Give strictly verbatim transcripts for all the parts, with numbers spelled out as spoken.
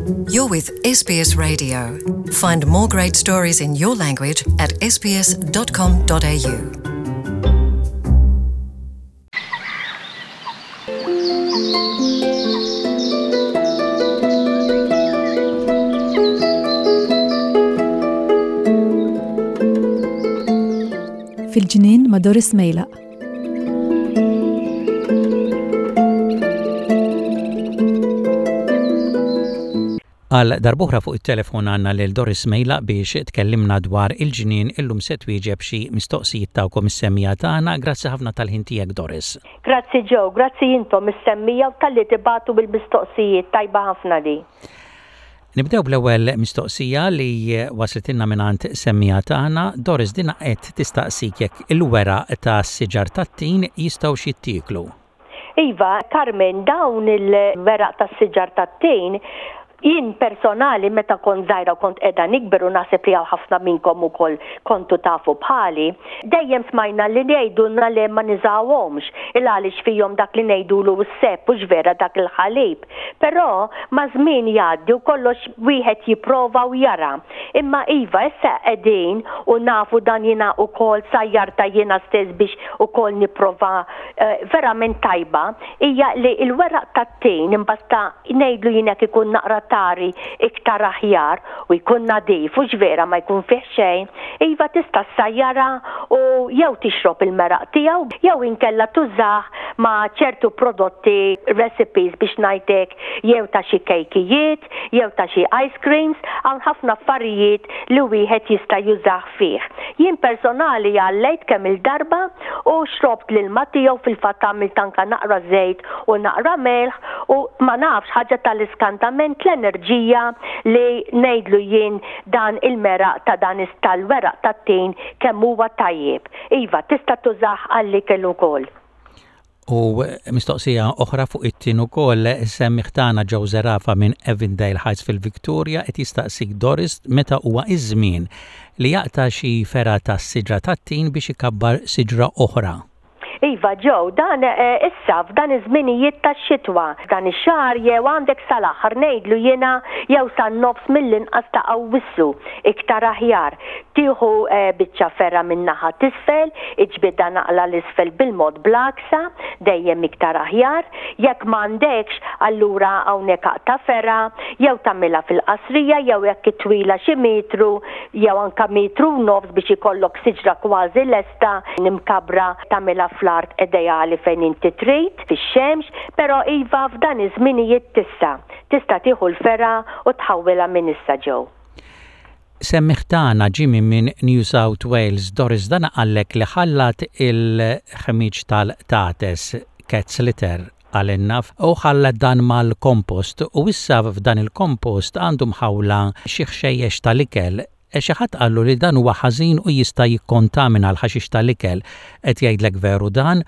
You're with S B S Radio. Find more great stories in your language at S B S dot com dot A U. Fil-ġnien ma' Doris Mejlaq. Għal darb'oħra fuq it-telefon għandna lil Doris Mejlaq biex tkellimna dwar il-ġnien. Illum se twieġeb xi mistoqsijiet tagħkom is-semmiegħa tagħna. Grazzi ħafna tal-ħin tiegħek, Doris. Grazzi Joe, grazzi intom is-semmiegħa u talli tibagħtu bil-mistoqsijiet, tajba ħafna li. Nibdew bl-ewwel mistoqsija li waslitilna mingħand semmiegħa tagħna. Doris, dina qed tistaqsik jekk il-weraq ta' siġar tat-tin jistgħu jittieklu. Iva, Carmen, dawn il-weraq tas siġar tat-tin, jien personali meta kont żgħira u kont qiegħda nikber, u naħseb li hawn ħafna minnkom ukoll kontu tafu bħali, dejjem smajna li ngħidulna li ma nużawhomx il għaliex fihom dak li ngħidulu s-sap, u vera dak il-ħalib. Però maż-żmien jgħaddi u kollox wieħed jipprova u jara. Imma iva, issa qegħdin u nafu dan, jiena ukoll sajjarta jiena stess biex ukoll nipprova, eh, verament tajba hija li il-weraq tat-tin imbasta ngħidlu jien jekk ikun naqra tari iktar aħjar u jkun nadif u vera ma jkun fih xejn, iva, tista' ssajjara u jew tixrob il-meraq tiegħu jew inkella tużah ma' ċertu prodotti, recipes biex ngħidlek, jew ta' xi kejkijiet, jew ta' xi ice creams, hawn ħafna affarijiet li wieħed jista' jużah fih. Jien personali għallejt kemm il-darba u xrobt l-ilma tiegħu, fil-fatt għamilt anka naqra żejt u naqra melħ u ma nafx, ħaġa tal-iskantament l-enerġija li ngħidlu jien dan il-meraq ta' dan tal-weraq tat-tin kemm huwa tajjeb. Iva, tista' tużah għall-ikel ukoll. U mistoqsija oħra fuq it-tin ukoll, semmiegħ tagħna Joe Zerafa minn Avondale Heights fil-Victoria qed jistaqsik, Doris, meta huwa iż-żmien li jaqta' xi fergħa tas-siġra tat-tin biex ikabbar siġra oħra. Iva Joe, dan eh, issa f'dan iż-żminijiet tax-xitwa, dan ix-xahar jew għandek sal-aħħar ngħidlu jiena jew san-nofs mill-inqas ta' Awwissu iktar aħjar. Tieħu eh, biċċa fergħa minn naħa t'isfel, iġbidha naqra 'l isfel bil-mod bl-għaksa, dejjem iktar aħjar. Jekk m'għandekx, allura hawnhekk aqta' fergħa jew tagħmilha fil-qasrija jew jekk twila xi metru jew anka metru u nofs biex ikollok siġra kważi lesta imkabbra, tagħmilha fl-art ideali fejn inti trid, fix-xemx, però iva, f'dan iż-żminijiet tista' tista' tieħu l-fergħa u tħawwilha minn issa, Joe. Semmiegħ tagħna Jimmy minn New South Wales, Doris, dan qallek li ħallat il-ħmiġ tal-qtates, cat's litter għal u ħallat dan mal-kompost u issa f'dan il-kompost għandu mħawla xi ħxejjex tal-ikel. E xi ħadd qallu li dan huwa ħażin u jista' jikkontamina l-ħaxix tal-ikel. Qed jgħidlek veru dan,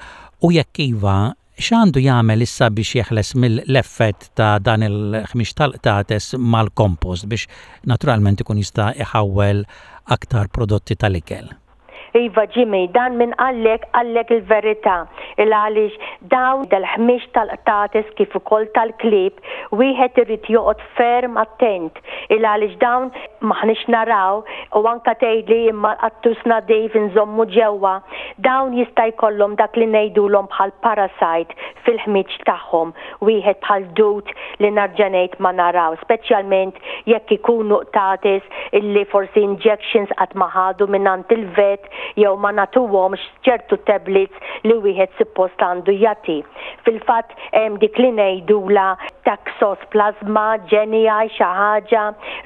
u jekk iva, x'għandu jagħmel issa biex jeħles mill-effett ta' dan il-ħmieġ tal-qtates mal-kompost biex naturalment ikun jista' iħawwel aktar prodotti tal-ikel? Iva Jimmy, dan min qallek, qallek il-verità. Il għaliex dawn dal-ħmieġ tal-qtates kif ukoll tal-klib, wieħed irid joqgħod ferm attent. Il għaliex dawn maħniex naraw, u anka tgħidli imma l-qattus nadif inżommu ġewwa. Dawn jista' jkollhom dak li ngħidulhom bħal parasite fil-ħmieġ tagħhom, wieħed bħal dud li nerġa' ngħid ma naraw, speċjalment jekk ikunu qtates illi forsi injections qatt ma ħadu mingħand il-vet jew ma nagħtuhomx ċertu tablets li wieħed suppost għandu jagħti. Fil-fatt hemm dik li ngħidula toxoplasma gondii xi ħaġa,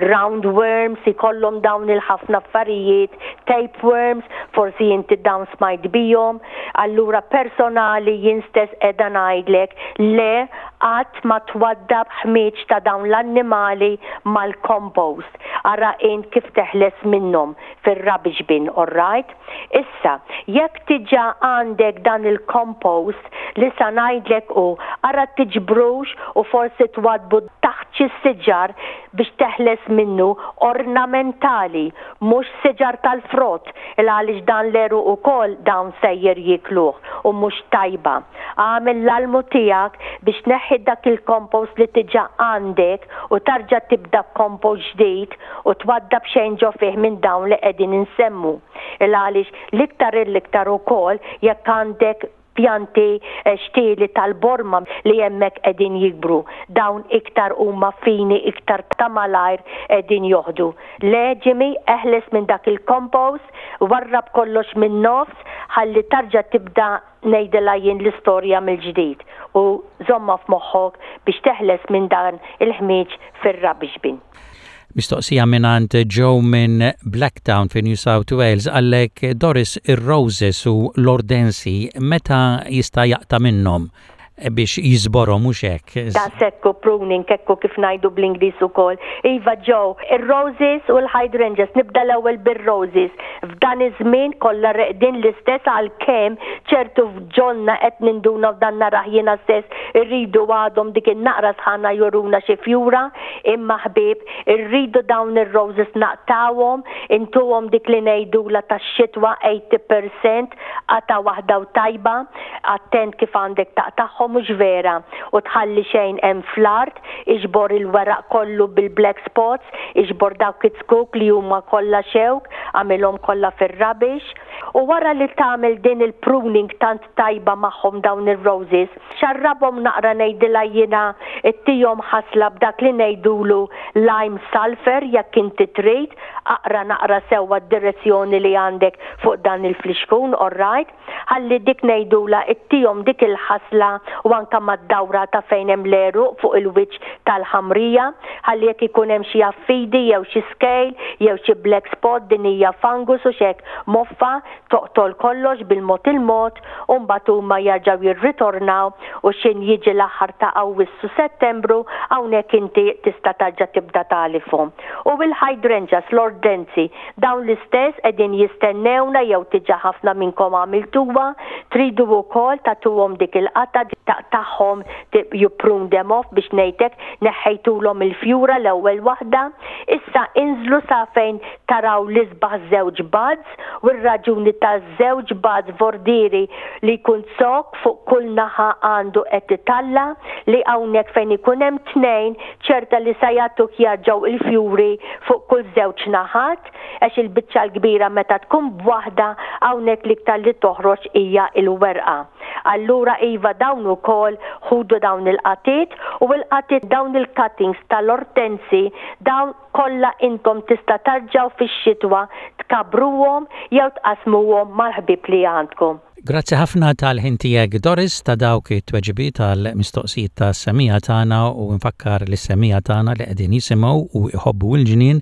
roundworms, ikollhom dawn il-ħafna affarijiet, tapeworms, forsi inti dawn smajt bihom. Allura personali jien stess qiegħda ngħidlek le, qatt ma twaddab ħmieġ ta' dawn l-annimali mal-compost. Ara int kif teħles minnhom fir-rubbish bin, all right? Issa, jekk diġà għandek dan il-compost li sa ngħidlek u ara tiġbrux u forsi forsi twaddbu taħt xi siġar biex teħles minnu ornamentali, mhux siġar tal-frott, il għaliex dan l-għeruq ukoll dawn sejjer jikluh u mhux tajba. Agħmel l-almu tiegħek biex tneħħi dak il-compost li diġà għandek u tarġa' tibda b'compost ġdid u twaddab xejn ġo fih minn dawn li qegħdin insemmu. Il għaliex l-iktar l-iktar ukoll jekk għandek pjanti eh, xtieli tal-borma li hemmhekk qegħdin jikbru. Dawn iktar huma fini, iktar ta' malajr qegħdin joħdu. Le Jimmy, eħles minn dak il-compost, warrab kollox minn nofs, ħalli tarġa' tibda ngħidilha jien l-istorja mill-ġdid u żommha f'moħħok biex teħles minn dan il-ħmieġ fir-rubbish bin. Mistoqsija mingħand Joe minn Blacktown fi New South Wales għalek Doris ir-Roses u l-Ortensi meta jista' jaqta' minnhom biex jiżborhom mhux hekk. Da sekku pruning kekku kif ngħidu bl-Ingliż ukoll. Iva Joe, ir-roses u l-hydrangeas, nibda l-ewwel bir-roses. F'dan iż-żmien kollha reqdin l-istess għalkemm ċertu f'ġonna qed ninduna f'dan narah jiena stess irridu għadhom dik in-naqra sħana juruna xi fjura, imma ħbieb irridu dawn ir-roses naqtawhom, intuhom dik li ngħidula tax-xitwa tmenin fil-mija qata waħda u tajba, attent kif għandek taqtagħhom mhux vera u tħalli xejn hemm fl-art, iġbor il-weraq kollu bil-black spots, iġbor dawk it-zkuk li huma kollha xewk, għamilhom kollha fir-rubbish. U wara li tagħmel din il-pruning tant tajba magħhom dawn ir-roses, xarrabhom naqra ngħidilha jiena ittihom ħasla b'dak li ngħidulu lime sulfur jekk inti trid, aqra naqra sewwa d-direzzjoni li għandek fuq dan il-flixkun, all right? Ħalli dik ngħidula ittihom dik il-ħasla u anka mad-dawra ta' fejn hemm l-għeruq fuq il-wiċċ tal-ħamrija, ħalli jekk ikun hemm xi affidi jew xi scale jew xi black spot din hija fungus u xek moffa toqtol kollox bil-mod il-mod u mbagħad huma jerġgħu jirritornaw u xin jiġi l-aħħar ta' Awwissu Settembru hawnhekk inti tista' tarġa' tibda tagħlifhom. U il-hydrangeas, l-ortensi, dawn l-istess qegħdin jistennewna jew diġà ħafna minnkom għamiltuha, tridu wkoll tagħtuhom dik il-qata tagħhom you prune them off biex ngħidlek neħħejtulhom il-fjura l-ewwel waħda, issa inżlu sa fejn taraw l-isbaħ żewġ buds u r-raġuni ta' żewġ buds vordiri li jkun zokk fuq kull naħa għandu qed italla li hawnhekk fejn ikun hemm tnejn ċerta li sa jagħtuk jarġgħu il-fjuri fuq kull żewġ naħat għax il-biċċa l-kbira meta tkun b'waħda hawnhekk l-iktar li toħroġ hija il-werqa. Allura iva dawn ukoll ħudu dawn il-qatiet u il-qatiet dawn il-cuttings tal-ortensi dawn kollha intom tista' tarġaw fix-xitwa tkabbruhom jew tqasmuhom mal-ħbieb li għandkom. Grazzi ħafna tal-ħin tiegħek Doris ta' dawk it-tweġibiet tal-mistoqsijiet ta' semmiegħa tagħna u nfakkar li semmiegħa tagħna li qegħdin jisimgħu u jħobbu l-ġnien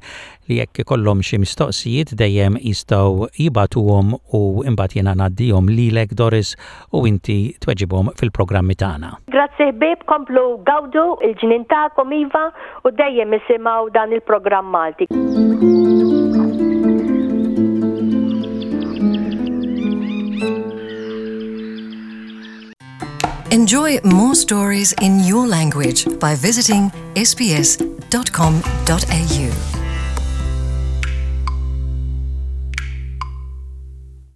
li jekk ikollhom xi mistoqsijiet dejjem jistgħu jibagħtuhom u imbagħad jiena ngħaddihom lilek Doris u inti tweġibhom fil-programmi tagħna. Grazzi ħbieb, komplu gawdu il-ġnien tagħkom iva u dejjem isimgħu dan il-programm Malti. Enjoy more stories in your language by visiting S B S dot com dot A U.